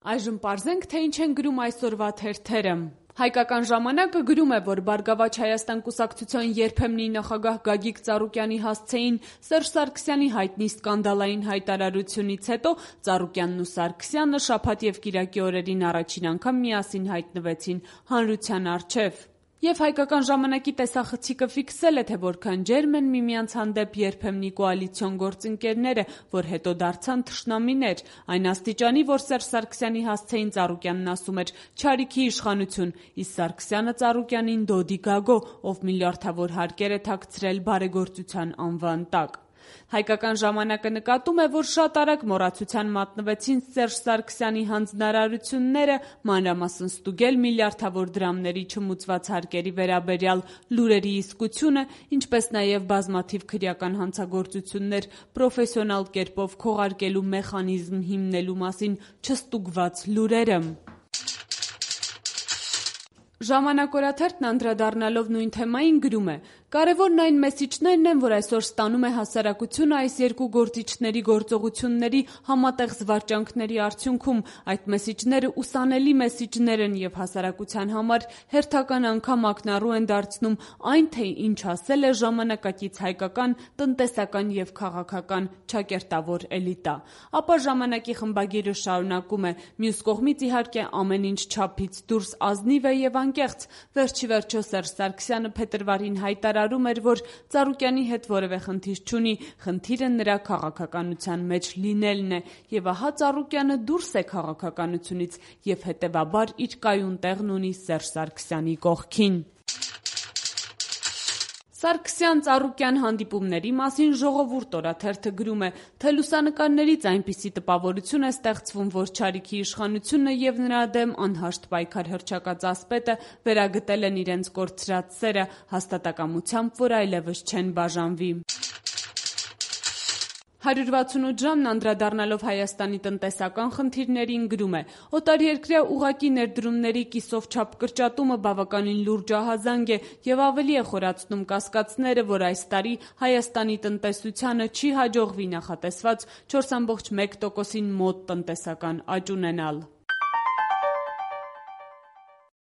Այժմ պարզենք, թե ինչ են գրում այսօրվա թերթերը։ Հայկական ժամանակը գրում է, որ Բարգավաճ Հայաստան կուսակցության երբեմնի նախագահ Գագիկ Ծառուկյանի հասցեին Սերժ Սարգսյանի հայտնի սկանդալային հայտարարությունից հետո Ծառուկյանն ու Սարգսյանը շաբաթ և կիրակի օրերին առաջին անգամ միասին հայտնվեցին հանրության առջև։ Եվ Հայկական ժամանակի տեսախցիկը ֆիքսել է, թե որքան ջերմ են միմյանց հանդեպ երբեմնի կոալիցիոն գործընկերները, որ հետո դարձան թշնամիներ, այն աստիճանի, որ Սերժ Սարգսյանի հասցեին Ծառուկյանն ասում էր «չարիքի իշխանություն», իսկ Սարգսյանը Ծառուկյանին «դոդի գագո», ով միլիարդավոր հարկեր է թաքցրել բարեգործության անվան տակ։ Հայկական ժամանակը նկատում է, որ շատ արագ մոռացության մատնվեցին Սերժ Սարգսյանի հանձնարարությունները, մանրամասն ստուգել միլիարդավոր դրամների չմուծված հարկերի վերաբերյալ լուրերի իսկությունը, ինչպես նաև բազմաթիվ քրեական հանցագործություններ պրոֆեսիոնալ կերպով քողարկելու մեխանիզմ հիմնելու մասին չստուգված լուրերը։ Ժամանակ օրաթերթն անդրադառնալով նույն թեմային գրում է. «Կարևորն այն մեսիջներն են, որ այսօր ստանում է հասարակությունը այս երկու գործիչների գործողությունների համատեղ զվարճանքների արդյունքում։ Այդ մեսիջները ուսանելի մեսիջներ են և հասարակության համար հերթական անգամ ակնառու են դարձնում այն, թե ինչ ասել է ժամանակակից հայկական տնտեսական և քաղաքական ճակերտավոր էլիտա»։ Ապա ժամանակի խմբագիրը շարունակում է. «Մյուս կողմից իհարկե ամեն ինչ չափից դուրս ազնիվ է և անկեղծ։ Վերջիվերջո Սերժ Սարգսյանը փետրվարին հայտարարում էր, որ Ծառուկյանի հետ որևէ խնդիր չունի, խնդիրը նրա քաղաքականության մեջ լինելն է, եւ ահա Ծառուկյանը դուրս է քաղաքականությունից եւ հետեւաբար իր կայուն տեղն ունի Սերժ Սարգսյանի կողքին»։ Սարգսյան-Ծառուկյան հանդիպումների մասին Ժողովուրդ օրաթերթը գրում է, թե լուսանկարներից այնպիսի տպավորություն է ստեղծվում, որ չարիքի իշխանությունը և նրա դեմ անհաշտ պայքար հռչակած ասպետը վերագտել են իրենց կորցրած սերը, հաստատակամությամբ, որ այլևս չեն բաժանվի։ 168 ժամն անդրադառնալով Հայաստանի տնտեսական խնդիրներին գրում է. «Օտարերկրյա ուղղակի ներդրումների կիսով չափ կրճատումը բավականին լուրջ ահազանգ է և ավելի է խորացնում կասկածները, որ այս տարի Հայաստանի տնտեսությանը չի հաջողվի նախատեսված 4,1%-ին մոտ տնտեսական աճ ունենալ»։